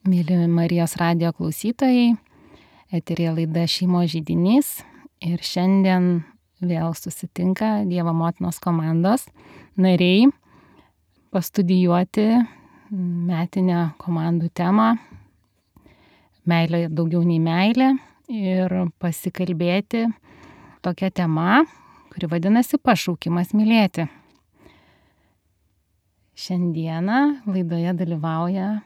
Mėly Marijos radijo klausytojai, eteryje laida Šeimos židinys ir šiandien vėl susitinka Dievo motinos komandos nariai pastudijuoti metinę komandų temą Meilė daugiau nei meilė ir pasikalbėti tokia tema, kuri vadinasi Pašaukimas mylėti. Šiandieną laidoje dalyvauja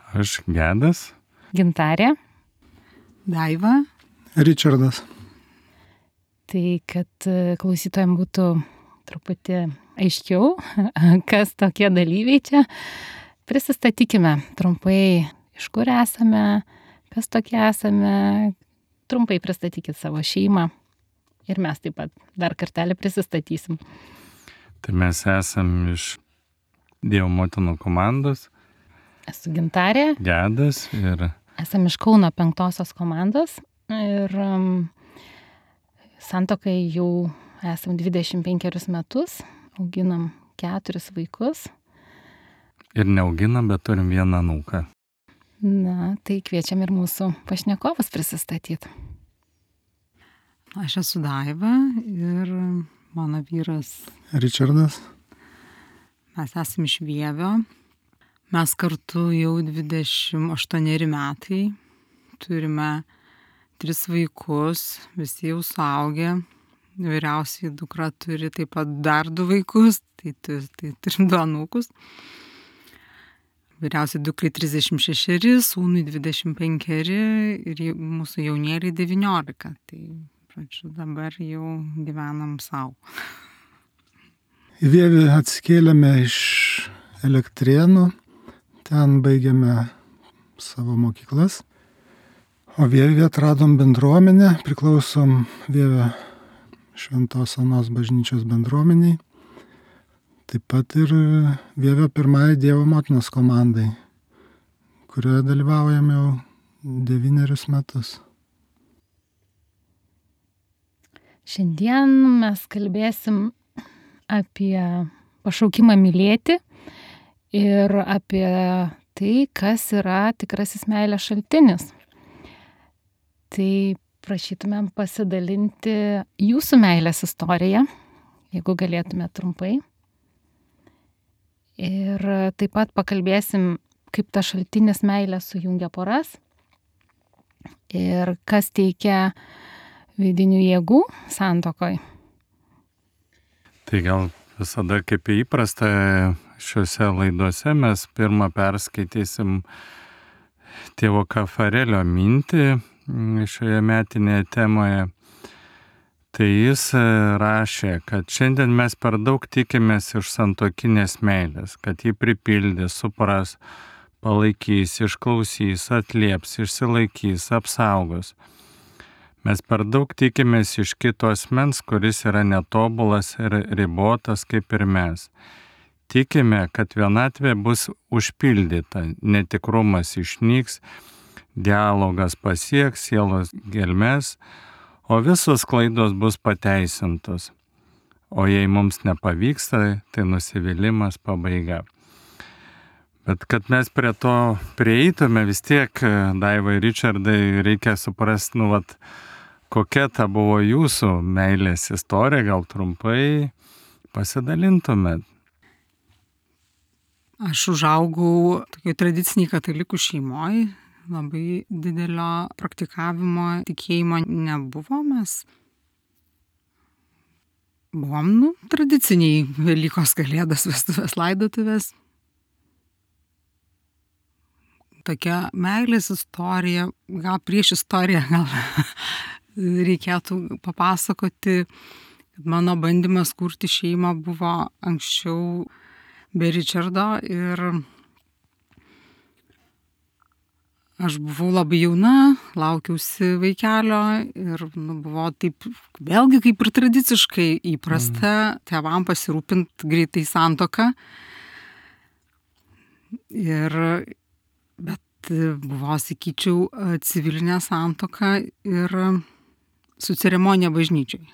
Aš Gedas. Gintarė. Daiva. Ričardas. Tai kad klausytojams būtų truputį aiškiau, kas tokie dalyviai čia, prisistatykime trumpai, iš kur esame, kas tokie esame, trumpai pristatykit savo šeimą ir mes taip pat dar kartelį prisistatysim. Tai mes esam iš Dievo motinų komandos. Esu Gintarė. Gedas ir esam iš Kauno 5 komandos ir santuokai jau esam 25 metus, auginam 4 vaikus. Ir neauginam, bet turim vieną anūką. Na, tai kviečiam ir mūsų pašnekovus prisistatyti. Aš esu Daiva ir mano vyras Ričardas. Mes esame iš Vievio. Mes kartu jau 28 metai, turime 3 vaikus, visi jau suaugę, vyriausiai dukra turi taip pat dar 2 vaikus, tai turim 2 anūkus. Vyriausiai dukrai 36, sūnui 25 ir mūsų jaunėliai 19, tai pradžiu dabar jau gyvenam savo. Į Vievį atsikėlėme iš Elektrėnų. Ten baigėme savo mokyklas, o Vievį atradom bendruomenę, priklausom Vievio Šventos Onos bažnyčios bendruomeniai, taip pat ir Vievio pirmai Dievo motinos komandai, kurioje dalyvaujame jau 9 metus. Šiandien mes kalbėsim apie pašaukimą mylėti ir apie tai, kas yra tikrasis meilės šaltinis. Tai prašytumėm pasidalinti jūsų meilės istoriją, jeigu galėtume trumpai. Ir taip pat pakalbėsim, kaip ta šaltinis meilė sujungia poras ir kas teikia vidinių jėgų santuokoj. Tai gal visada kaip įprasta šiuose laiduose mes pirmą perskaitysim tėvo Kafarelio mintį šioje metinėje temoje. Tai jis rašė, kad šiandien mes per daug tikimės iš santuokinės meilės, kad jį pripildys, supras, palaikys, išklausys, atlieps, išsilaikys, apsaugos. Mes per daug tikimės iš kito asmens, kuris yra netobulas ir ribotas kaip ir mes. Tikime, kad vienatvė bus užpildyta, netikrumas išnyks, dialogas pasieks sielos gelmes, o visos klaidos bus pateisintos. O jei mums nepavyksta, tai nusivylimas pabaiga. Bet kad mes prie to prieitume, vis tiek, Daiva ir Ričardai, reikia suprasti, kokia ta buvo jūsų meilės istorija, gal trumpai pasidalintumėt. Aš užaugau tokiai tradiciniai katalikų šeimoje, labai didelio praktikavimo, tikėjimo nebuvo, mes buvom tradiciniai Velykos, Kalėdos, vestuvės, laidotuvės. Tokia meilės istorija, gal prieš istoriją, gal reikėtų papasakoti, kad mano bandymas kurti šeimą buvo anksčiau be Ričardo ir aš buvau labai jauna, laukiausi vaikelio ir buvo taip, vėlgi kaip ir tradiciškai įprasta tėvam pasirūpinti greitai santuoką. Bet buvo, sakyčiau, civilinė santuoka ir su ceremonija bažnyčiai.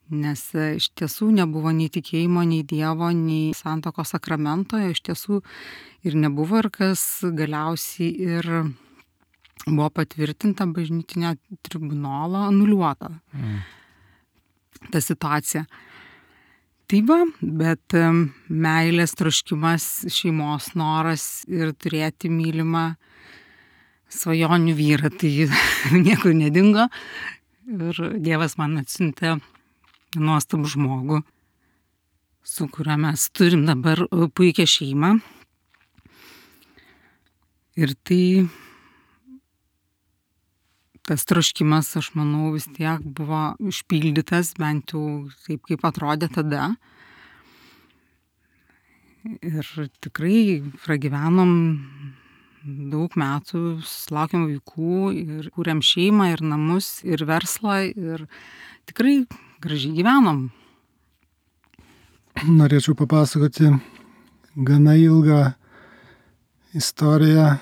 Nes iš tiesų nebuvo nei tikėjimo, nei Dievo, nei santuokos sakramento, iš tiesų ir nebuvo, ir kas galiausiai ir buvo patvirtinta bažnytinio tribunolo, anuliuota ta situacija. Tai va, bet meilės troškimas, šeimos noras ir turėti mylimą svajonių vyrą, tai niekur nedingo. Ir Dievas man atsiuntė nuostabų žmogų, su kuriuo mes turim dabar puikią šeimą. Ir tai tas troškimas, aš manau, vis tiek buvo išpildytas, bent jau taip, kaip atrodė tada. Ir tikrai pragyvenom daug metų, sulaukėm vaikų ir kūrėm šeimą ir namus ir verslą ir tikrai gražiai gyvenom. Norėčiau papasakoti gana ilgą istoriją,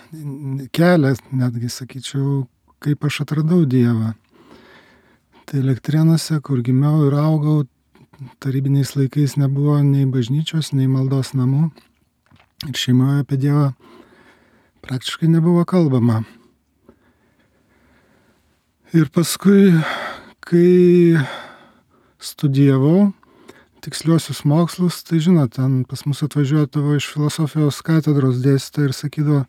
kelią, netgi sakyčiau, kaip aš atradau Dievą. Tai Elektrėnuose, kur gimiau ir augau, tarybiniais laikais nebuvo nei bažnyčios, nei maldos namų. Ir šeimoje apie Dievą praktiškai nebuvo kalbama. Ir paskui, kai studijavau tiksliuosius mokslus, tai žinot, ten pas mus atvažiuodavo iš filosofijos katedros dėstytoja ir sakydavo,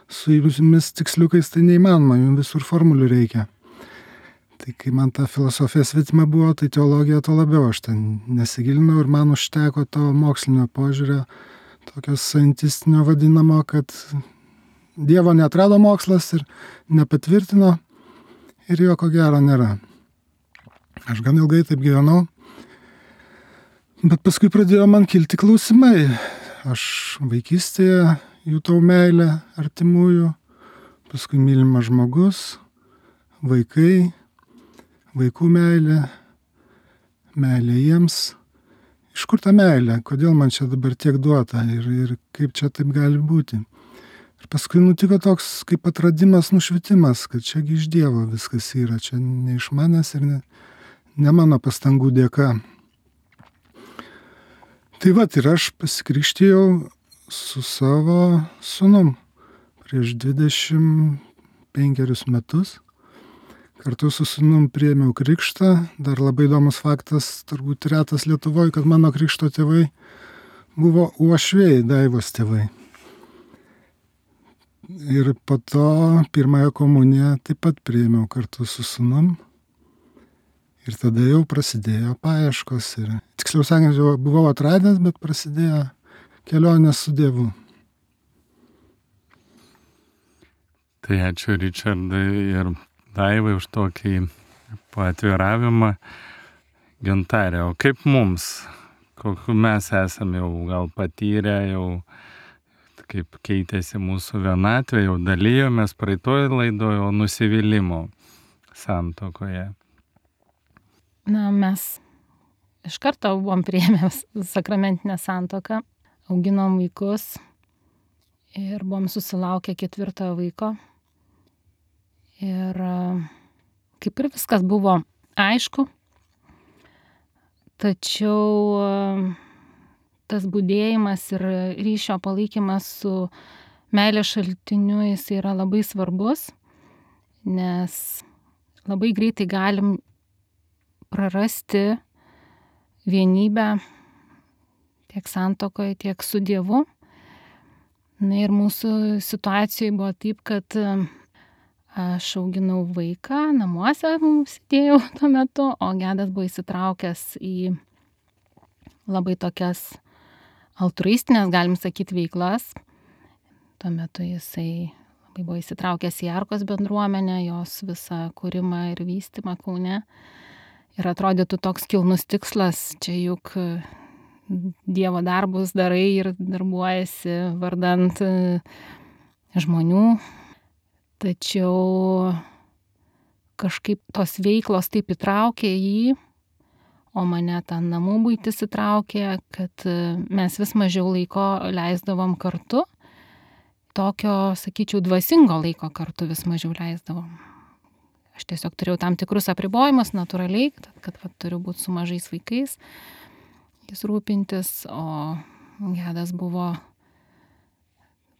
su jumis tiksliukais tai neįmanoma, jums visur formulių reikia. Tai kai man ta filosofija svetima buvo, tai teologija to labiau aš ten nesigilinau ir man užteko to mokslinio požiūrio, tokio scientistinio vadinamo, kad Dievo neatrado mokslas ir nepatvirtino ir jo ko gero nėra. Aš gan ilgai taip gyvenau, bet paskui pradėjo man kilti klausimai. Aš vaikystėje jutau meilę artimųjų, paskui mylimas žmogus, vaikai, vaikų meilė, meilė jiems. Iš kur ta meilė? Kodėl man čia dabar tiek duota ir kaip čia taip gali būti? Ir paskui nutiko toks kaip atradimas, nušvitimas, kad čiagi iš Dievo viskas yra, čia ne iš manęs ir ne mano pastangų dėka. Tai vat ir aš pasikrikštijau su savo sūnum prieš 25 metus. Kartu su sūnum priėmiau krikštą. Dar labai įdomus faktas, turbūt retas Lietuvoje, kad mano krikšto tėvai buvo uošviai, Daivos tėvai. Ir po to pirmąją komuniją taip pat priėmiau kartu su sūnum. Ir tada jau prasidėjo paieškos. Ir, tiksliau sakant, jau buvau atradęs, bet prasidėjo kelionė su Dievu. Tai ačiū Ričardai ir Daivai už tokį paatviravimą. Gintarė, o kaip mums? Kokiu mes esame jau gal patyrę, jau kaip keitėsi mūsų vienatvė, jau dalijomės praeitoje laidoje, o nusivylimo santuokoje. Na, mes iš karto buvom priėmę sakramentinę santuoką, auginom vaikus ir buvom susilaukę 4 vaiko. Ir kaip ir viskas buvo aišku, tačiau tas budėjimas ir ryšio palaikymas su meilės šaltiniu jis yra labai svarbus, nes labai greitai galim prarasti vienybę tiek santuokoje, tiek su Dievu. Na ir mūsų situacijoje buvo taip, kad aš auginau vaiką, namuose sėdėjau tuo metu, o Gedas buvo įsitraukęs į labai tokias altruistinės, galim sakyti, veiklas. Tuo metu jisai labai buvo įsitraukęs į Arkos bendruomenę, jos visą kūrimą ir vystymą Kaune. Ir atrodytų toks kilnus tikslas, čia juk Dievo darbus darai ir darbuojasi vardant žmonių. Tačiau kažkaip tos veiklos taip įtraukė jį, o mane tą namų buitis įtraukė, kad mes vis mažiau laiko leisdavom kartu. Tokio, sakyčiau, dvasingo laiko kartu vis mažiau leisdavom. Aš tiesiog turėjau tam tikrus apribojimus natūraliai, kad turiu būti su mažais vaikais, jis rūpintis, o Gedas buvo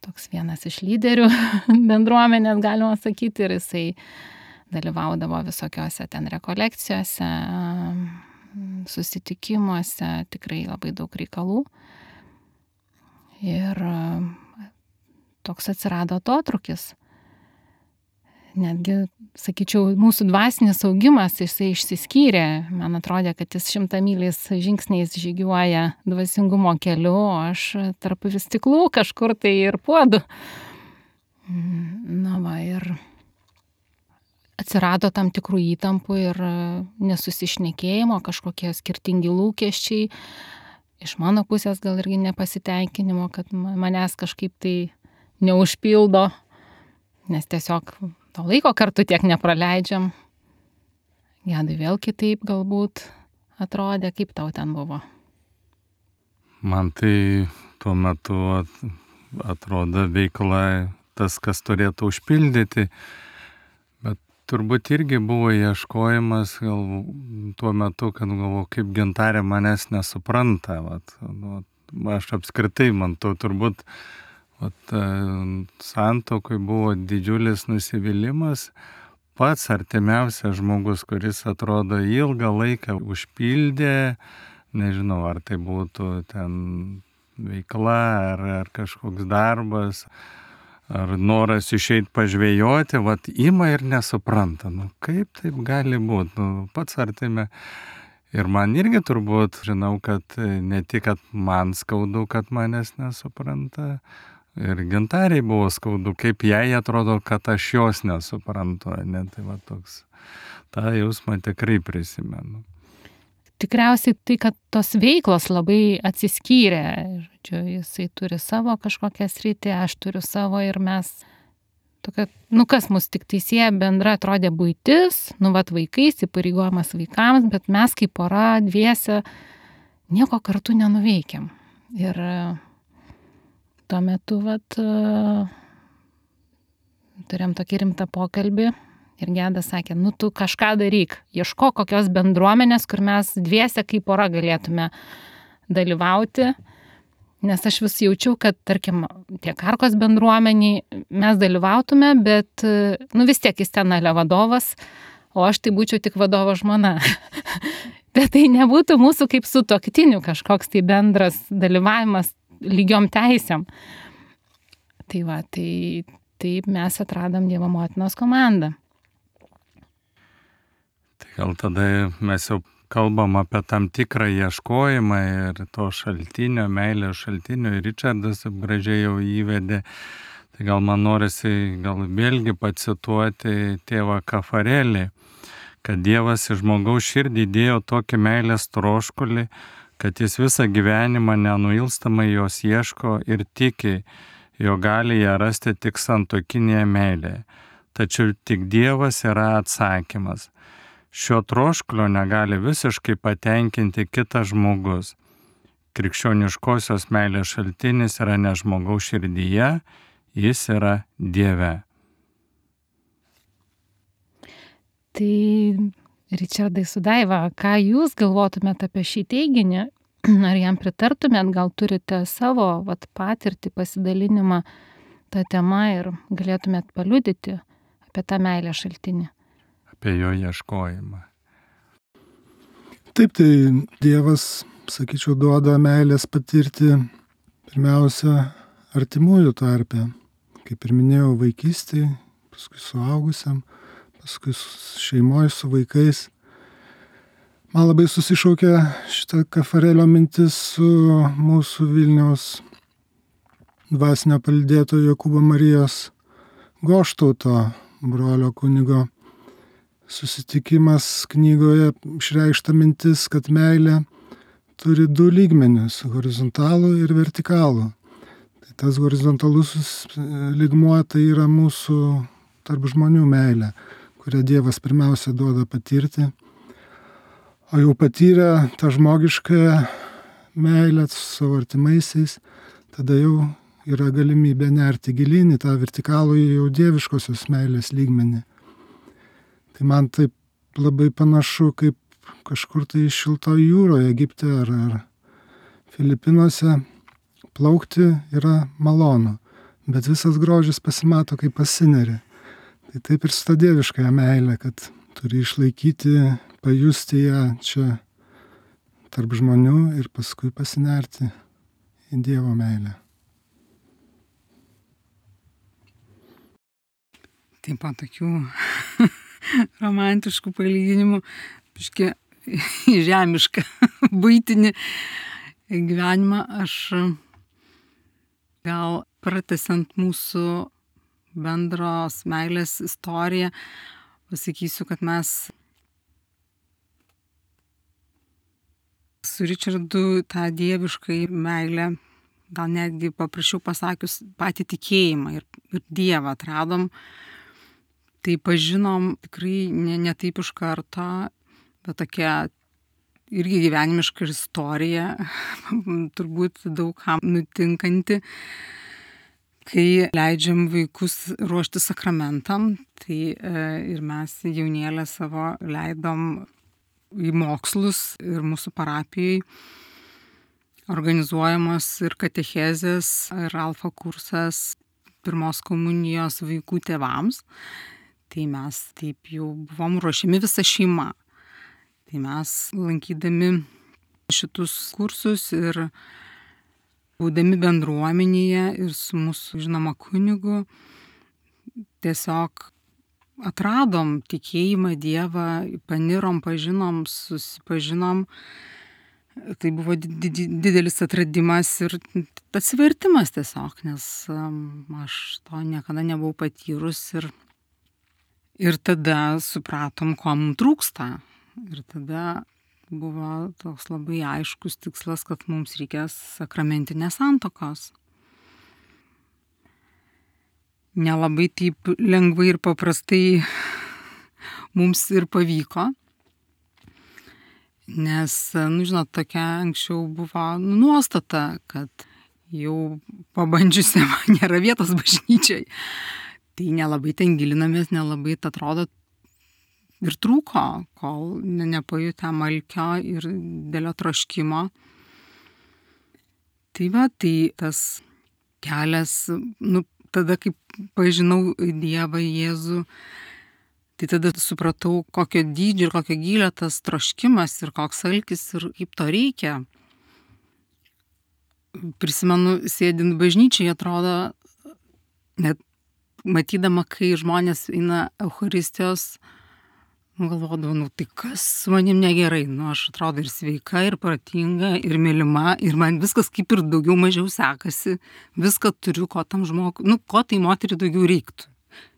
toks vienas iš lyderių bendruomenės, galima sakyti, ir jisai dalyvaudavo visokiose ten rekolekcijose, susitikimuose, tikrai labai daug reikalų. Ir toks atsirado atotrūkis. Netgi, sakyčiau, mūsų dvasinis augimas, jisai išsiskyrė. Man atrodė, kad jis 100 myliais žingsniais žygiuoja dvasingumo keliu, o aš tarp vis stiklų kažkur tai ir puodu. Na va, ir atsirado tam tikrų įtampų ir nesusišnekėjimo, kažkokie skirtingi lūkesčiai. Iš mano pusės gal irgi nepasitenkinimo, kad manęs kažkaip tai neužpildo, nes tiesiog to laiko kartu tiek nepraleidžiam. Gedai vėl kitaip galbūt atrodė, kaip tau ten buvo. Man tai tuo metu atrodo veikla tas, kas turėtų užpildyti, bet turbūt irgi buvo ieškojimas gal tuo metu, kad galvoju, kaip Gintarė manęs nesupranta. Aš apskritai, man to turbūt santuokoj buvo didžiulis nusivylimas. Pats artimiausias žmogus, kuris atrodo ilgą laiką užpildė, nežinau, ar tai būtų ten veikla, ar kažkoks darbas, ar noras išeit pažvejoti, ima ir nesupranta. Kaip taip gali būti? Pats artime. Ir man irgi turbūt, žinau, kad ne tik, kad man skaudu, kad manęs nesupranta, ir Gintarei buvo skaudu, kaip jai atrodo, kad aš jos nesuprantu. Tai toks, tą jausmą tikrai prisimenu. Tikriausiai tai, kad tos veiklos labai atsiskyrė. Jisai turi savo kažkokią sritį, aš turiu savo ir mes tokia, kas mus tik sieja bendra atrodė buitis, vaikais, įpareigojimas vaikams, bet mes kaip pora dviese nieko kartu nenuveikiam. Ir tuo metu turėjom tokį rimtą pokalbį ir Gedas sakė, tu kažką daryk, ieško kokios bendruomenės, kur mes dviese kaip pora galėtume dalyvauti, nes aš vis jaučiau, kad, tarkim, tiek Arkos bendruomeniai mes dalyvautume, bet vis tiek jis ten vadovas, o aš tai būčiau tik vadovo žmona. Bet tai nebūtų mūsų kaip sutuoktinių kažkoks tai bendras dalyvavimas lygiom teisėm. Taip mes atradom Dievo motinos komandą. Tai gal tada mes jau kalbam apie tam tikrą ieškojimą ir to šaltinio, meilės šaltinio, ir Ričardas gražiai jau įvedė. Tai gal man norisi vėlgi pacituoti tėvą Kafarelį, kad Dievas į žmogaus širdį įdėjo tokį meilės troškulį, kad jis visą gyvenimą nenuilstamai jos ieško ir tiki, jo gali ją rasti tik santuokinėje meilėje. Tačiau tik Dievas yra atsakymas. Šio troškulio negali visiškai patenkinti kitas žmogus. Krikščioniškosios meilės šaltinis yra ne žmogaus širdyje, jis yra Dieve. Tai Ričardai su Daiva, ką jūs galvotumėt apie šį teiginį? Ar jam pritartumėt, gal turite savo patirtį, pasidalinimą tą temą ir galėtumėt paliudyti apie tą meilę šaltinį? Apie jo ieškojimą. Taip, tai Dievas, sakyčiau, duoda meilės patirti pirmiausia artimųjų tarpe. Kaip ir minėjau, vaikystėje, paskui suaugusiam, paskui šeimoje su vaikais. Man labai susišaukė šitą Kafarelio mintis su mūsų Vilniaus dvasinio palydėtojo Jokūbo Marijos Goštauto, brolio kunigo, susitikimas knygoje išreikšta mintis, kad meilė turi 2 lygmenius - horizontalų ir vertikalų. Tai tas horizontalusis lygmuo tai yra mūsų tarp žmonių meilė, kurią Dievas pirmiausia duoda patirti. O jau patyrę tą žmogišką meilę su savo artimaisiais, tada jau yra galimybė nerti gilyn į tą vertikalų jau dieviškosios meilės lygmenį. Tai man taip labai panašu, kaip kažkur tai šilto jūroje, Egipte ar Filipinuose plaukti yra malonu, bet visas grožis pasimato, kai pasineri. Tai taip ir su ta dieviškąja meilė, kad turi išlaikyti, pajusti ją čia tarp žmonių ir paskui pasinerti į Dievo meilę. Taip pat tokių romantiškų palyginimų, biškį žemišką buitinį gyvenimą. Aš gal pratęsiant mūsų bendros meilės istoriją, pasakysiu, kad mes su Ričardu tą dieviškai meilę, gal netgi paprašiau pasakius, patį tikėjimą ir Dievą atradom. Tai pažinom tikrai ne taip iš karto, bet tokia irgi gyvenimiška istorija, turbūt daugam nutinkanti, kai leidžiam vaikus ruošti sakramentam. Tai ir mes jaunėlę savo leidom į mokslus ir mūsų parapijai organizuojamos ir katechezės, ir alfa kursas pirmos komunijos vaikų tėvams. Tai mes taip jau buvom ruošiami visa šeima. Tai mes lankydami šitus kursus ir būdami bendruomenėje ir su mūsų žinoma kunigu tiesiog atradom tikėjimą Dievą, panirom, pažinom, susipažinom. Tai buvo didelis atradimas ir atsivertimas tiesiog, nes aš to niekada nebuvau patyrus ir tada supratom, ko mums trūksta. Ir tada buvo toks labai aiškus tikslas, kad mums reikės sakramentinės santuokos. Nelabai taip lengvai ir paprastai mums ir pavyko, nes, žinot, tokia anksčiau buvo nuostata, kad jau pabandžiusiam nėra vietos bažnyčiai. Tai nelabai ten gilinamės, nelabai atrodo ir trūko, kol nepajutėm alkio ir didelio troškimo. Tai va, tai tas kelias, tada, kai pažinau Dievą, Jėzų, tai tada supratau, kokio dydžio ir kokio gylio tas troškimas ir koks alkis ir kaip to reikia. Prisimenu, sėdint bažnyčiai, atrodo, net matydama, kai žmonės eina Eucharistijos, galvodavau, tai kas su manim negerai. Aš atrodo ir sveika, ir protinga, ir mylima, ir man viskas kaip ir daugiau mažiau sekasi. Viską turiu, ko tam žmogui, ko tai moteriai daugiau reiktų.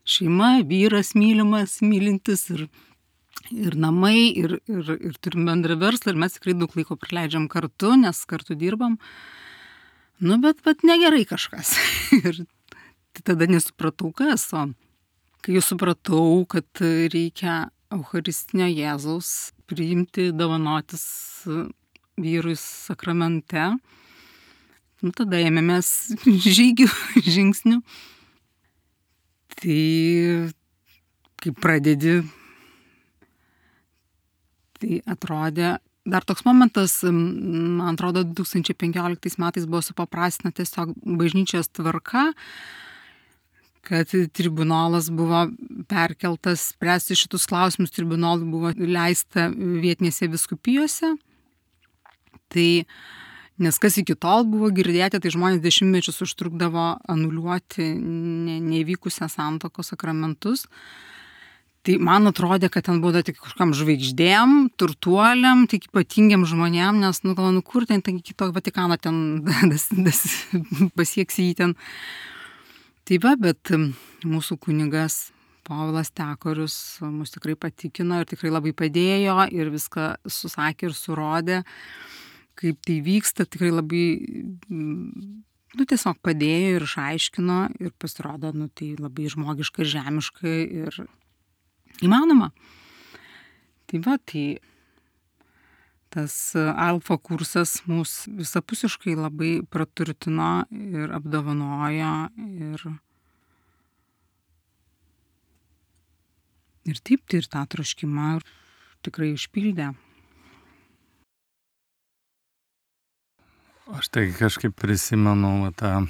Šeima, vyras mylimas, mylintis ir namai, ir turim bendrą verslą, ir mes tikrai daug laiko praleidžiam kartu, nes kartu dirbam. Bet negerai kažkas. Ir tada nesupratau, kas. O kai jau supratau, kad reikia Eucharistinio Jėzaus priimti, dovanotis vyrui sakramente, tada ėmėmės žingsnių. Tai kai pradedi, tai atrodė, dar toks momentas, man atrodo, 2015 metais buvo supaprastina tiesiog bažnyčios tvarka, kad tribunolas buvo perkeltas spręsti šitus klausimus, tribunolui buvo leista vietinėse vyskupijose. Tai, nes kas iki tol buvo girdėti, tai žmonės dešimtmečius užtrukdavo anuliuoti neįvykusią santuokos sakramentus. Tai man atrodė, kad ten buvo tik kažkam žvaigždėm, turtuoliam, tik ypatingiam žmonėm, nes, kur ten iki to Vatikano ten pasieksi jį ten. Tai va, bet mūsų kunigas Povilas Tekorius mus tikrai patikino ir tikrai labai padėjo ir viską susakė ir surodė, kaip tai vyksta, tikrai labai, tiesiog padėjo ir išaiškino ir pasirodo, tai labai žmogiška ir žemiška ir įmanoma. Tai va, tai tas alfa kursas mus visapusiškai labai praturtino ir apdovanojo ir Ir taip, tai ir tą troškimą tikrai užpildė. Aš tai kažkaip prisimenu tą,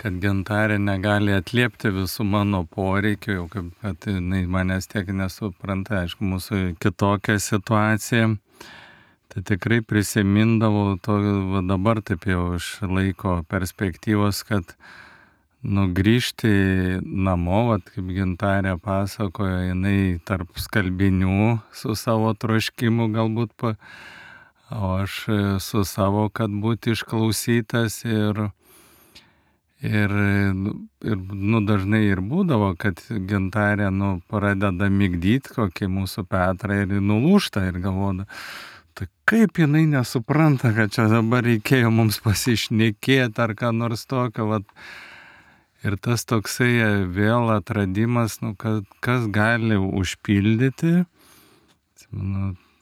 kad Gintarė negali atliepti visų mano poreikių, jau kaip, kad jinai manęs tiek nesupranta, aišku, mūsų kitokia situacija. Tai tikrai prisimindavau to, va dabar taip jau iš laiko perspektyvos, kad grįžti namo, va, kaip Gintarė pasakojo, jinai tarp skalbinių su savo troškimu galbūt, o aš su savo, kad būti išklausytas ir dažnai ir būdavo, kad Gintarė, pradeda migdyti kokį mūsų Petrą ir nulūžta ir galvoda, tai kaip jinai nesupranta, kad čia dabar reikėjo mums pasišnekėti ar ką nors tokio, vat. Ir tas toksai vėl atradimas, kad kas gali užpildyti,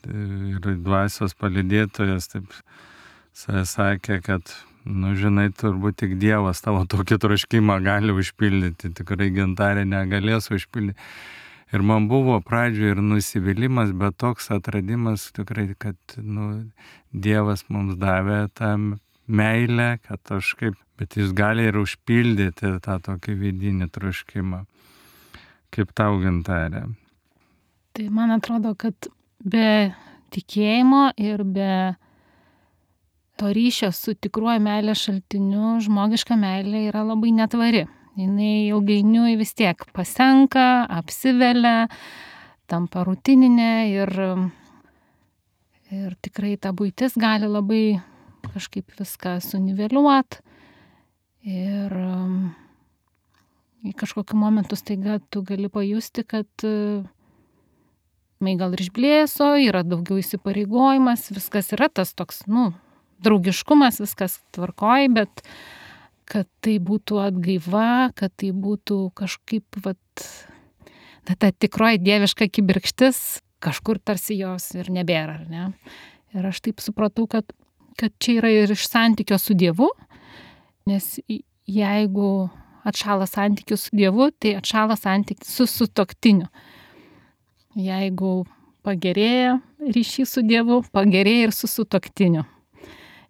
ir dvasios palydėtojas taip sakė, kad, žinai, turbūt tik Dievas tavo tokį troškimą gali užpildyti, tikrai Gintarė negalės užpildyti. Ir man buvo pradžioje ir nusivylimas, bet toks atradimas tikrai, kad Dievas mums davė tą meilę, kad bet jis gali ir užpildyti tą tokį vidinį troškimą. Kaip tau, Gintarė? Tai man atrodo, kad be tikėjimo ir be to ryšio su tikruoju meilės šaltiniu žmogiška meilė yra labai netvari. Jinai ilgainiui vis tiek pasenka, apsivelia, tampa rutininė ir tikrai ta buitis gali labai kažkaip viską suniveliuot ir į kažkokiu momentu staiga tu gali pajusti, kad gal ir išblėso, yra daugiau įsipareigojimas, viskas yra tas toks, draugiškumas, viskas tvarkoj, bet kad tai būtų atgaiva, kad tai būtų kažkaip, ta tikroji dieviška kibirkštis, kažkur tarsi jos ir nebėra, ar ne? Ir aš taip supratau, kad čia yra ir iš santykio su Dievu, nes jeigu atšąla santykis su Dievu, tai atšąla santykis su sutuoktiniu. Jeigu pagerėja ryšys su Dievu, pagerėja ir su sutuoktiniu.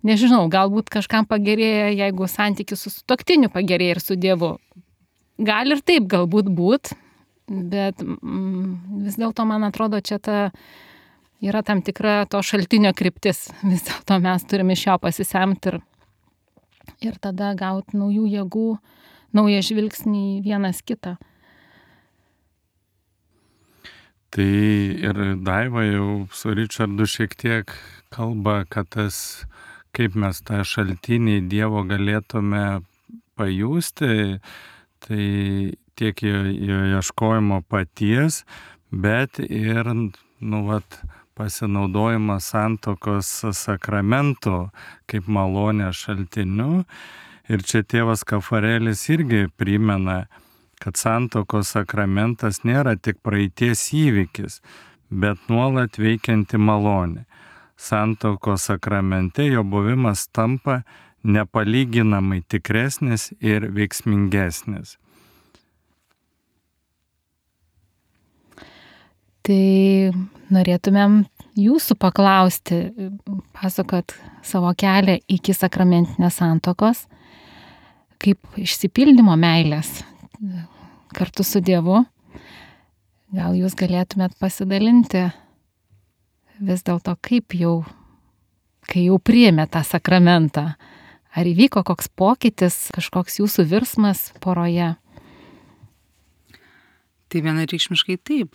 Nežinau, galbūt kažkam pagerėja, jeigu santykis su sutuoktiniu pagerėja ir su Dievu. Gali ir taip galbūt būt, bet vis dėlto, man atrodo, čia yra tam tikra to šaltinio kryptis. Vis dėlto mes turime iš jo pasisemti ir tada gauti naujų jėgų, naują žvilgsnį į vienas kitą. Tai ir Daiva jau su Richardu šiek tiek kalba, kad kaip mes tą šaltinį Dievo galėtume pajusti, tai tiek jo ieškojimo paties, bet ir, pasinaudojimas santuokos sakramentų kaip malonės šaltiniu. Ir čia tėvas Kafarelis irgi primena, kad santuokos sakramentas nėra tik praeities įvykis, bet nuolat veikianti malonė. Santuokos sakramente jo buvimas tampa nepalyginamai tikresnis ir veiksmingesnis. Tai norėtumėm jūsų paklausti, pasakot savo kelią iki sakramentinės santuokos, kaip išsipildymo meilės kartu su Dievu. Gal jūs galėtumėt pasidalinti vis dėlto, kai jau priėmė tą sakramentą, ar įvyko koks pokytis, kažkoks jūsų virsmas poroje? Tai vienareikšmiškai taip.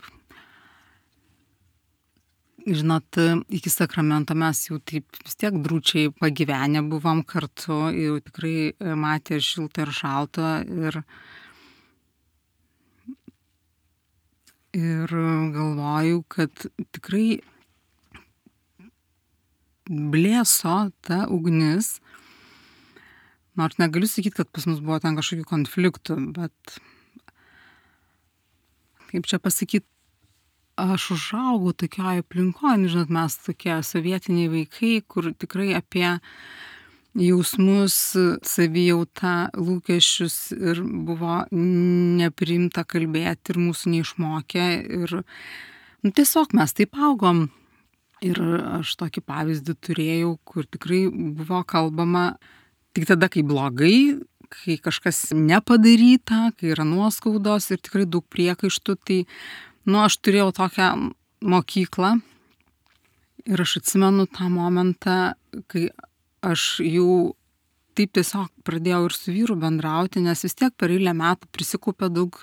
Žinot, iki sakramento mes jau taip vis tiek drūčiai pagyvenę buvom kartu, jau tikrai matė ir šiltą ir šaltą ir galvoju, kad tikrai blėso ta ugnis, nors negaliu sakyti, kad pas mus buvo ten kažkokių konfliktų, bet kaip čia pasakyti, aš užaugau tokioje aplinkoje, žinot, mes tokie sovietiniai vaikai, kur tikrai apie jausmus, savijautą, lūkesčius ir buvo nepriimta kalbėti ir mūsų neišmokė. Ir tiesiog mes taip augom. Ir aš tokį pavyzdį turėjau, kur tikrai buvo kalbama tik tada, kai blogai, kai kažkas nepadaryta, kai yra nuoskaudos ir tikrai daug priekaištų. Tai, aš turėjau tokią mokyklą ir aš atsimenu tą momentą, kai aš jau taip tiesiog pradėjau ir su vyru bendrauti, nes vis tiek per eilę metų prisikaupė daug,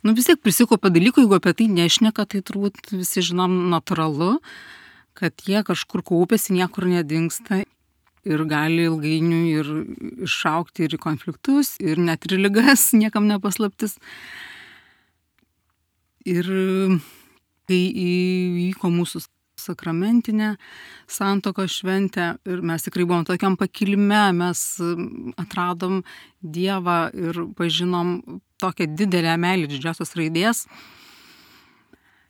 vis tiek prisikaupė dalykų, jeigu apie tai nešneka, tai turbūt visi žinom natūralu, kad jie kažkur kaupėsi, niekur nedingsta. Ir gali ilgainiui ir iššaukti ir į konfliktus, ir net ir ligas, niekam nepaslaptis. Ir kai įvyko mūsų sakramentinė santuokos šventė ir mes tikrai buvom tokiam pakilime, mes atradom Dievą ir pažinom tokią didelę meilę didžiosios raidės.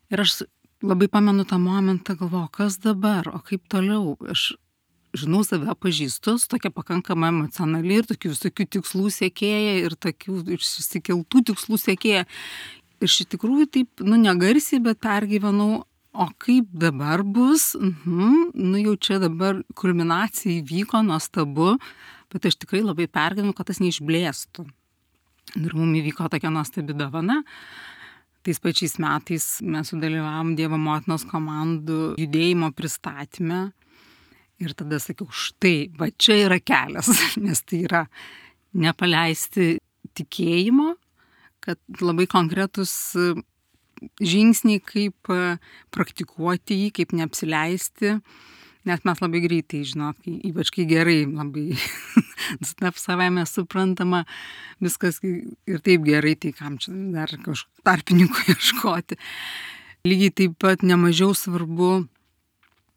Ir aš labai pamenu tą momentą, galvoju, kas dabar, o kaip toliau. Aš žinau save, pažįstu, tokia pakankamai emocionali ir tokių visokių tikslų siekėja ir tokių išsikeltų tikslų siekėja. Ir iš tikrųjų taip, negarsiai, bet pergyvenau, o kaip dabar bus, jau čia dabar kulminacija įvyko, nuostabu, bet aš tikrai labai pergyvenau, kad tas neišblėstų. Ir mums įvyko tokia nuostabi dovana. Tais pačiais metais mes sudalyvavom Dievo motinos komandų judėjimo pristatyme. Ir tada sakiau, štai, va čia yra kelias, nes tai yra nepaleisti tikėjimo, kad labai konkretus žingsniai, kaip praktikuoti jį, kaip neapsileisti, nes mes labai greitai, ypač kai gerai, labai savaime suprantama, viskas ir taip gerai, tai kam čia dar kažkokių tarpininkų ieškoti. Lygiai taip pat nemažiau svarbu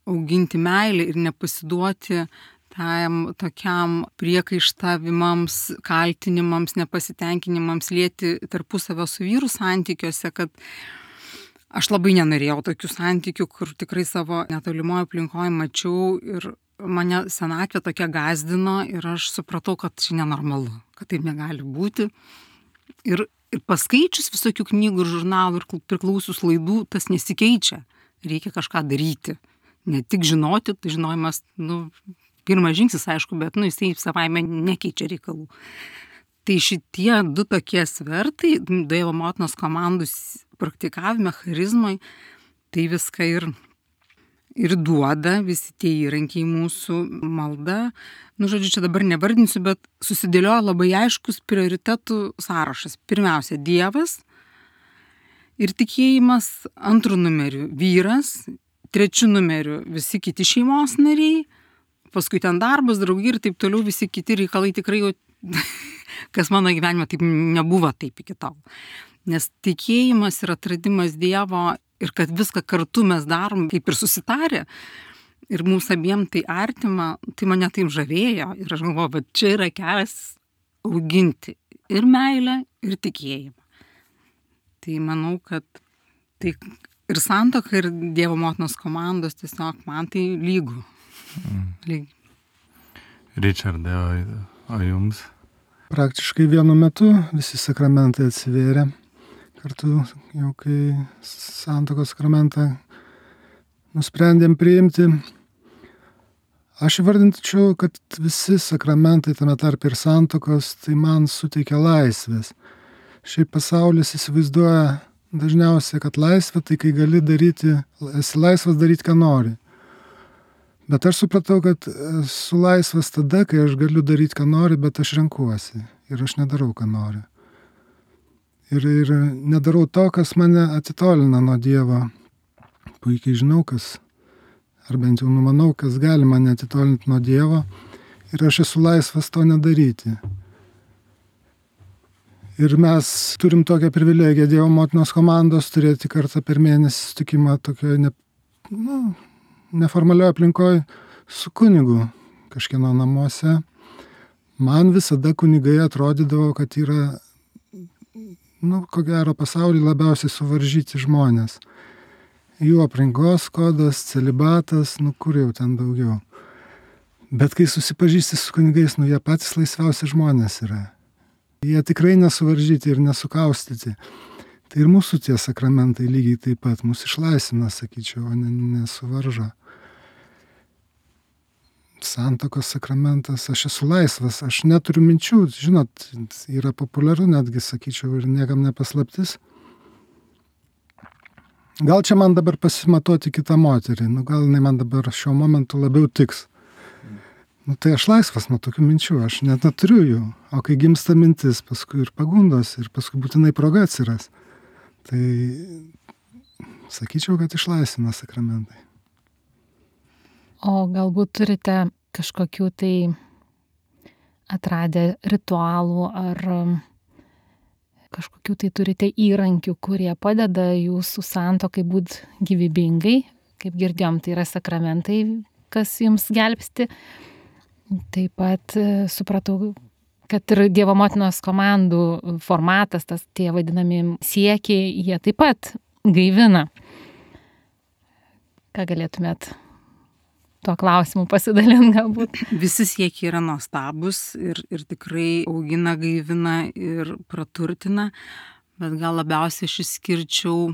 auginti meilę ir nepasiduoti tam tokiam priekaištavimams, kaltinimams, nepasitenkinimams, lieti tarpusavio su vyru santykiuose, kad aš labai nenorėjau tokių santykių, kur tikrai savo netolimoje aplinkoje mačiau ir mane senatvė tokia gazdino ir aš supratau, kad čia nenormalu, kad taip negali būti. Ir paskaičius visokių knygų ir žurnalų ir priklausius laidų, tas nesikeičia. Reikia kažką daryti. Ne tik žinoti, tai žinojimas, pirmas žingsnis, aišku, bet, jisai savaime nekeičia reikalų. Tai šitie du tokie svertai, Dievo motinos komandų praktikavime, charizmai, tai viską ir duoda, visi tie įrankiai mūsų malda. Žodžiu, čia dabar nevardinsiu, bet susidėlioja labai aiškus prioritetų sąrašas. Pirmiausia, Dievas ir tikėjimas, antrų numerių vyras, trečių numerių visi kiti šeimos nariai, paskui ten darbas, draugai ir taip toliau visi kiti reikalai tikrai, kas mano gyvenime taip nebuvo taip iki tol. Nes tikėjimas ir atradimas Dievo ir kad viską kartu mes darom, kaip ir susitarę, ir mums abiem tai artima, tai mane taip žavėjo. Ir aš galvoju, bet čia yra kelias auginti ir meilę, ir tikėjimą. Tai manau, kad tai ir santuoka, ir Dievo motinos komandos tiesiog man tai lygu. Richardai, o jums? Praktiškai vienu metu visi sakramentai atsivėrė. Kartu jau kai santuokos sakramentą nusprendėm priimti. Aš įvardinčiau, kad visi sakramentai, tame tarpe ir santuokos, tai man suteikia laisvės. Šiaip pasaulis įsivaizduoja dažniausiai, kad laisvė tai kai gali daryti, esi laisvas daryti, ką nori. Bet aš supratau, kad esu laisvas tada, kai aš galiu daryti, ką nori, bet aš renkuosi ir aš nedarau, ką noriu. Ir nedarau to, kas mane atitolina nuo Dievo. Puikiai žinau, kas, ar bent jau numanau, kas gali mane atitolinti nuo Dievo ir aš esu laisvas to nedaryti. Ir mes turim tokią privilegiją Dievo motinos komandos turėti kartą per mėnesį sutikimą tokioje neformalioje aplinkoje su kunigu kažkieno namuose. Man visada kunigai atrodydavo, kad yra, ko gero, pasaulyje labiausiai suvaržyti žmonės. Jų aplinkos kodas, celibatas, kur jau ten daugiau. Bet kai susipažįsti su kunigais, jie patys laisviausi žmonės yra. Jie tikrai nesuvaržyti ir nesukaustyti. Tai ir mūsų tie sakramentai lygiai taip pat mus išlaisvina, sakyčiau, o nesuvaržo. Santuokos sakramentas, aš esu laisvas, aš neturiu minčių, žinot, yra populiaru netgi, sakyčiau, ir niekam nepaslaptis. Gal čia man dabar pasimatuoti kitą moterį, gal jinai man dabar šiuo momentu labiau tiks. Tai aš laisvas nuo tokių minčių, aš net neturiu jų. O kai gimsta mintis, paskui ir pagundos, ir paskui būtinai proga atsiras. Tai sakyčiau, kad išlaisvina sakramentai. O galbūt turite kažkokių tai atradę ritualų ar kažkokių tai turite įrankių, kurie padeda jūsų santuokai būti gyvybingai. Kaip girdėjom, tai yra sakramentai, kas jums gelbsti. Taip pat supratau, kad ir Dievo motinos komandų formatas, tie vadinami siekiai, jie taip pat gaivina. Ką galėtumėt tuo klausimu pasidalinti galbūt? Visi siekiai yra nuostabus ir tikrai augina, gaivina ir praturtina, bet gal labiausiai aš išskirčiau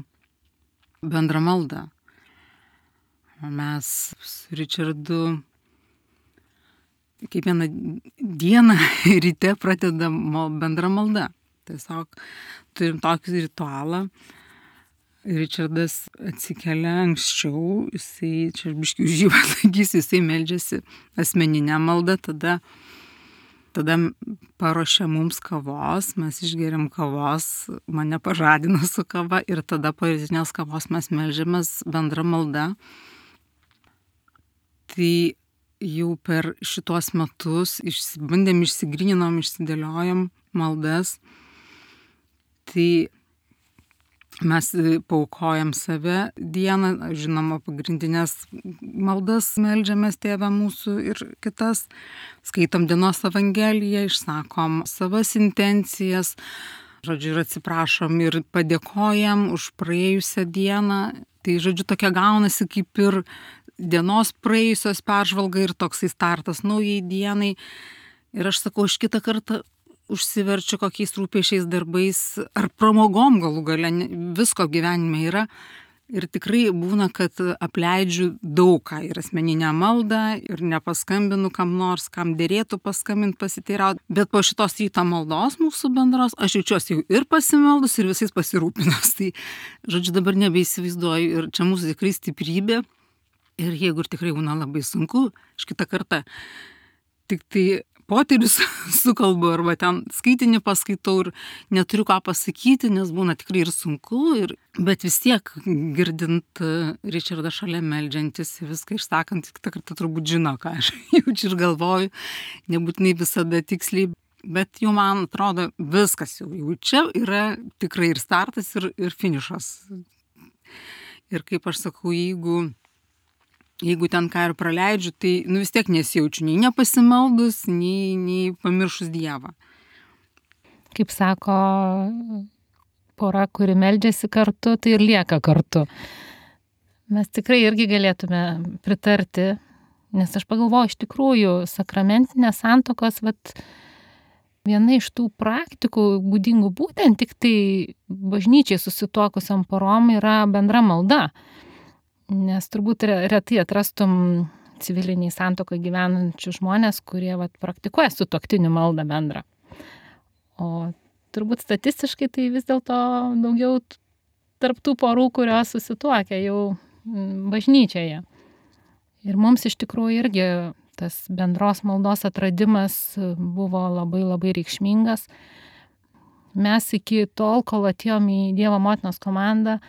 bendrą maldą. Mes su Ričardu kiekvieną dieną ryte pradedam bendrą maldą. Tiesiog turim tokį ritualą. Ričardas atsikelia anksčiau, jisai, čia biškių už jį pasakysiu, jisai meldžiasi asmeninę maldą, tada paruošia mums kavos, mes išgeriam kavos, mane pažadina su kava ir tada po rytinės kavos mes meldžiamės bendrą maldą. Tai jau per šitos metus bandėm, išsigryninom, išsidėliojom maldas. Tai mes paaukojam save dieną, žinoma, pagrindinės maldas meldžiamės Tėvą mūsų ir kitas. Skaitom dienos evangeliją, išsakom savas intencijas, žodžiu, ir atsiprašom ir padėkojam už praėjusią dieną. Tai, žodžiu, tokia gaunasi kaip ir dienos praėjusios peržvalga ir toksai startas naujai dienai. Ir aš sakau, aš kitą kartą užsiverčiu kokiais rūpesčiais darbais ar pramogom galų gale, visko gyvenime yra. Ir tikrai būna, kad apleidžiu daug ką ir asmeninę maldą ir nepaskambinu kam nors, kam dėrėtų paskambinti, pasiteirauti. Bet po šitos ryto maldos mūsų bendros, aš jaučiuosi jau ir pasimeldus, ir visais pasirūpinus. Tai, žodžiu, dabar nebeįsivaizduoju ir čia mūsų tikrai stiprybė. Ir jeigu ir tikrai būna labai sunku, aš kitą kartą tik tai poterius sukalbu arba ten skaitinį paskaitau ir neturiu ką pasakyti, nes būna tikrai ir sunku, bet vis tiek girdint Ričardą šalia meldžiantis ir viską išsakant, kitą kartą turbūt žino, ką aš jaučiu ir galvoju, nebūtinai visada tiksliai, bet jau man atrodo viskas jau čia yra tikrai ir startas, ir finišas. Ir kaip aš sakau, jeigu ten ką ir praleidžiu, tai vis tiek nesijaučiu nei nepasimeldus, nei pamiršus Dievą. Kaip sako pora, kuri meldžiasi kartu, tai ir lieka kartu. Mes tikrai irgi galėtume pritarti, nes aš pagalvoju, iš tikrųjų, sakramentinės santuokos, viena iš tų praktikų būdingų būtent tik tai bažnyčiai susituokusiam porom yra bendra malda. Nes turbūt retai atrastum civiliniai santuokoje gyvenančių žmonės, kurie praktikuoja sutuoktinių maldą bendrą. O turbūt statistiškai tai vis dėlto daugiau tarp tų porų, kurios susituokia jau bažnyčioje. Ir mums iš tikrųjų irgi tas bendros maldos atradimas buvo labai labai reikšmingas. Mes iki tol, kol atėjom į Dievo motinos komandą,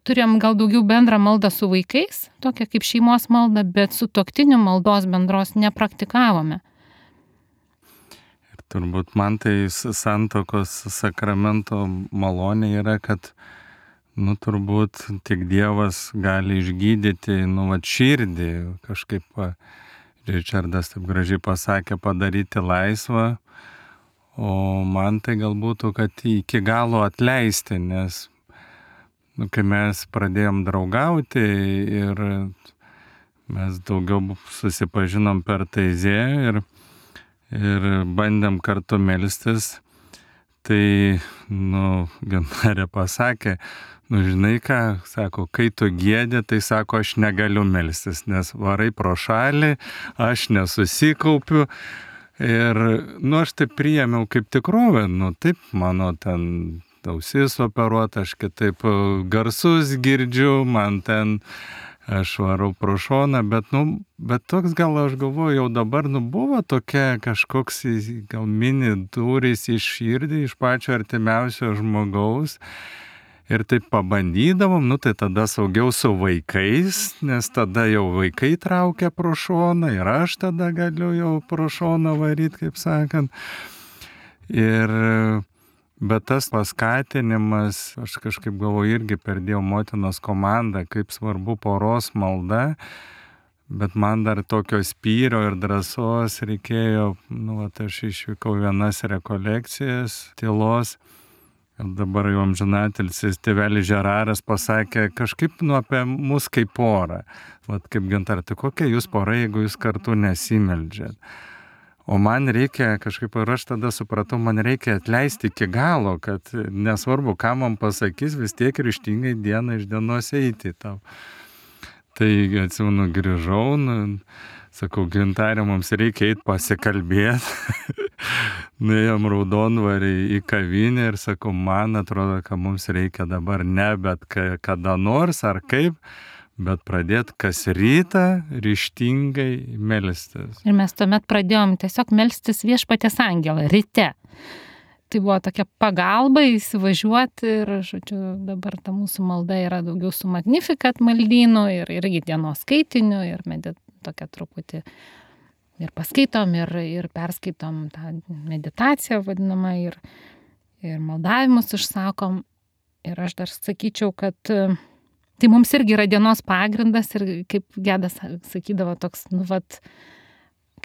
turėjom gal daugiau bendrą maldą su vaikais, tokia kaip šeimos malda, bet sutuoktinių maldos bendros nepraktikavome. Ir turbūt man tai santuokos sakramento malonė yra, kad turbūt tik Dievas gali išgydyti širdį, kažkaip Ričardas taip gražiai pasakė, padaryti laisvą, o man tai galbūt, kad iki galo atleisti, nes kai mes pradėjom draugauti ir mes daugiau susipažinom per Taizė ir bandėm kartu melstis. Tai, Gintarė pasakė, žinai ką, sako, kai tu giedi, tai sako, aš negaliu melstis, nes varai pro šalį, aš nesusikaupiu. Ir, aš tai priėmiau kaip tikrovę, taip, mano ten ausis operuota, aš kitaip garsus girdžiu, man ten aš varau pro šoną, bet toks gal aš galvoju, jau dabar buvo tokia kažkoks gal mini durys į širdį iš pačio artimiausio žmogaus. Ir taip pabandydavom, tai tada saugiau su vaikais, nes tada jau vaikai traukia pro šoną ir aš tada galiu jau pro šoną varyti, kaip sakant. Bet tas paskatinimas, aš kažkaip galvoju, irgi per Dievo motinos komandą, kaip svarbu poros malda, bet man dar tokio spyrio ir drąsos reikėjo, aš išvykau vienas rekolekcijas tylos. Ir dabar jau amžinatilsis tėvelis Žeraras pasakė kažkaip apie mus kaip porą. Kaip Gintarė, tai kokia jūs pora, jeigu jūs kartu nesimeldžiat? O man reikia kažkaip, ir aš tada supratau, man reikia atleisti iki galo, kad nesvarbu, ką man pasakys, vis tiek ryžtingai dieną iš dienos eiti tau. Tai atsimenu, grįžau, sakau, Gintarė, mums reikia eiti pasikalbėti. Nuėjom Raudondvarį į kavinę ir sakau, man atrodo, kad mums reikia dabar ne bet kada nors ar kaip, bet pradėti kas rytą ryžtingai melstis. Ir mes tuomet pradėjom tiesiog melstis Viešpaties angelą ryte. Tai buvo tokia pagalba įsivažiuoti ir, dabar ta mūsų malda yra daugiau su Magnificat maldynu ir irgi dienos skaitiniu ir tokia truputį ir paskaitom ir perskaitom tą meditaciją vadinamą ir maldavimus išsakom. Ir aš dar sakyčiau, kad tai mums irgi yra dienos pagrindas ir kaip Gedas sakydavo toks,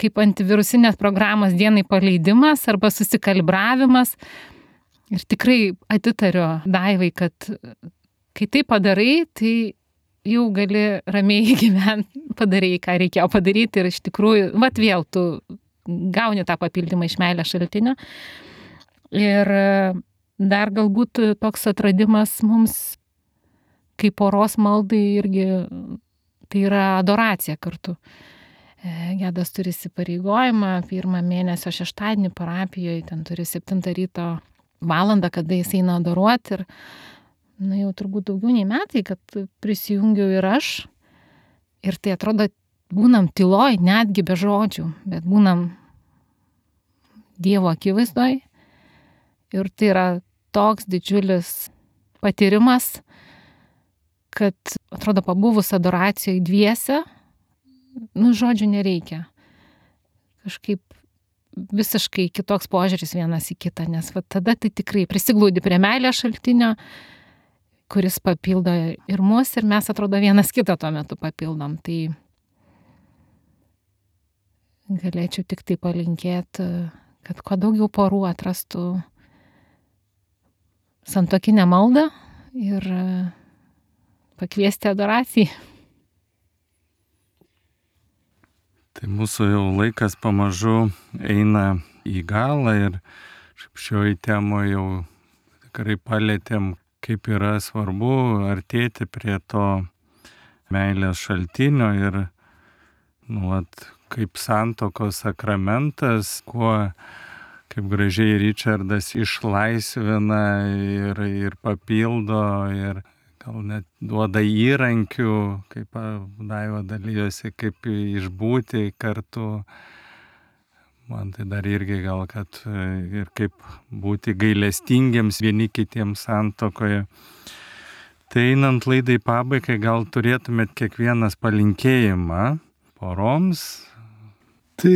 kaip antivirusinės programos dienai paleidimas arba susikalibravimas. Ir tikrai atitariu Daivai, kad kai tai padarai, tai jau gali ramiai gyventi, padarei, ką reikėjo padaryti ir iš tikrųjų, vėl tu gauni tą papildymą iš meilės šaltinio. Ir dar galbūt toks atradimas mums kaip poros maldai irgi, tai yra adoracija kartu. Gedas turi įsipareigojimą, 1 mėnesio šeštadienį parapijoje, ten turi 7 ryto valandą, kada jis eina adoruoti ir jau turbūt daugiau nei metai, kad prisijungiau ir aš. Ir tai atrodo, būnam tyloj, netgi be žodžių, bet būnam Dievo akivaizdoj. Ir tai yra toks didžiulis patyrimas, kad atrodo, pabuvus adoracijoje dviese, žodžių nereikia. Kažkaip visiškai kitoks požiūris vienas į kitą, nes tada tai tikrai prisiglaudi prie meilės šaltinio, kuris papildo ir mus, ir mes atrodo vienas kitą tuo metu papildom. Tai galėčiau tik tai palinkėti, kad kuo daugiau porų atrastų santuokinę maldą ir pakviesti adoracijai. Tai mūsų jau laikas pamažu eina į galą ir šioje temoje jau tikrai palėtėm, kaip yra svarbu artėti prie to meilės šaltinio ir kaip santuokos sakramentas, kuo, kaip gražiai Ričardas išlaisvina ir papildo ir gal net duoda įrankių, kaip Daiva dalyjosi, kaip išbūti kartu. Man tai dar irgi gal, kad ir kaip būti gailestingiems vieni kitiems santuokoje. Tai einant laidai pabaigai, gal turėtumėt kiekvienas palinkėjimą poroms? Tai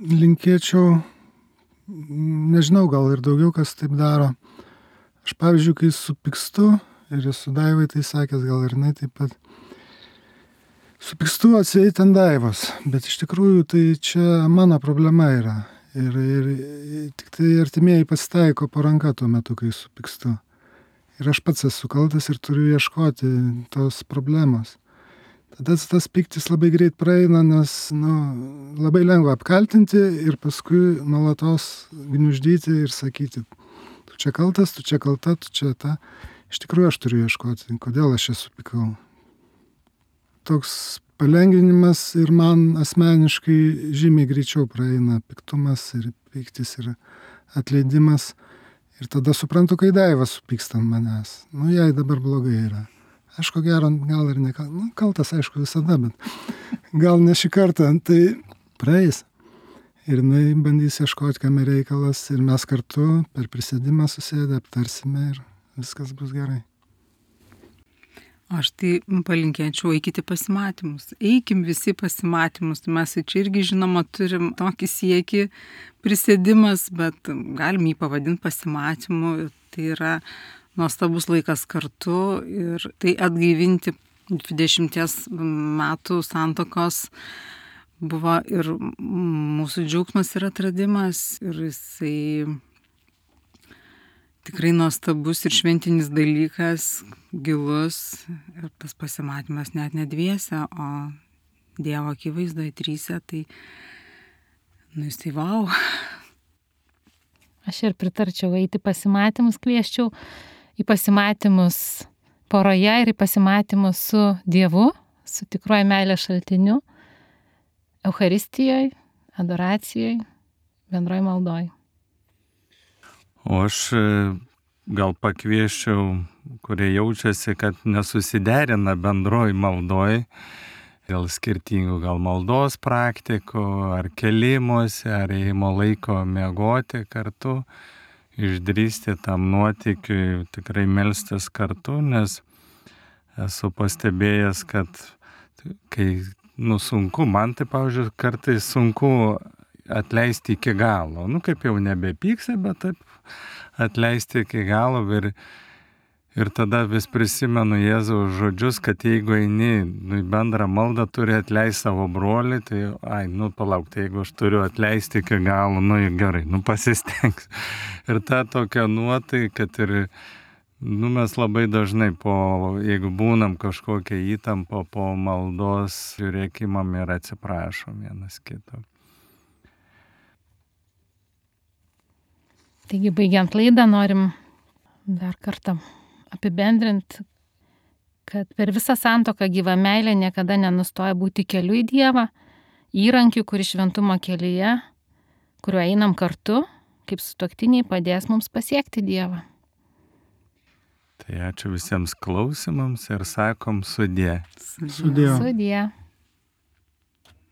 linkėčiau, nežinau, gal ir daugiau kas taip daro. Aš pavyzdžiui, kai supykstu, ir esu Daivai tai sakęs, gal ir jinai taip pat, supykstu atsieit ant Daivos, bet iš tikrųjų tai čia mano problema yra. Ir tik tai artimieji pasitaiko po ranka tuo metu, kai supykstu. Ir aš pats esu kaltas ir turiu ieškoti tos problemos. tada tas pyktis labai greit praeina, nes labai lengva apkaltinti ir paskui nuolatos gniuždyti ir sakyti, tu čia kaltas, tu čia kalta, tu čia ta. Iš tikrųjų aš turiu ieškoti, kodėl aš čia supykau. Toks palengvinimas ir man asmeniškai žymiai greičiau praeina piktumas ir pyktis ir atleidimas. Ir tada suprantu, kai Daiva supyksta ant manęs. Jai dabar blogai yra. Aš ko gero, gal ir ne kaltas, aišku, visada, bet gal ne šį kartą, tai praeis. Ir jinai bandys ieškoti, kame reikalas, ir mes kartu per prisėdimą susėdę aptarsime ir viskas bus gerai. Aš tai palinkėčiau, eikite pasimatymus. Eikim visi pasimatymus. Mes čia irgi, žinoma, turim tokį siekį prisėdimas, bet galim jį pavadinti pasimatymu. Tai yra nuostabus laikas kartu ir tai atgaivinti 20 metų santuokos buvo ir mūsų džiaugsmas ir atradimas. Ir jisai tikrai nuostabus ir šventinis dalykas, gilus. Ir tas pasimatymas net ne dviese, o Dievo akivaizdoje tryse, tai jisai vau. Aš ir pritarčiau eiti pasimatymus, kvieščiau į pasimatymus poroje ir į pasimatymus su Dievu, su tikruoju meilės šaltiniu, Eucharistijoje, adoracijoje, bendroje maldoje. O aš gal pakvieščiau, kurie jaučiasi, kad nesusiderina bendroji maldoj, dėl skirtingų gal maldos praktikų, ar kelimuose, ar ėjimo laiko miegoti kartu, išdrįsti tam nuotykiui tikrai melstis kartu, nes esu pastebėjęs, kad kai sunku, man tai, pavyzdžiui, kartais sunku atleisti iki galo. Kaip jau nebepyksi, bet taip atleisti iki galo ir tada vis prisimenu Jėzaus žodžius, kad jeigu eini į bendrą maldą, turi atleisti savo brolį, tai palauk, tai jeigu aš turiu atleisti iki galo, gerai, pasistengsiu. Ir ta tokia nuotaika, kad ir mes labai dažnai jeigu būnam kažkokią įtampą po maldos, žiūrėkimam ir atsiprašom vienas kito. Taigi, baigiant laidą, norim dar kartą apibendrinti, kad per visą santuoką gyva meilė niekada nenustoja būti keliu į Dievą, įrankiu, kuris šventumo kelyje, kuriuo einam kartu, kaip sutuoktiniai, padės mums pasiekti Dievą. Tai ačiū visiems klausimams ir sakom sudie. Sudie. Sudie.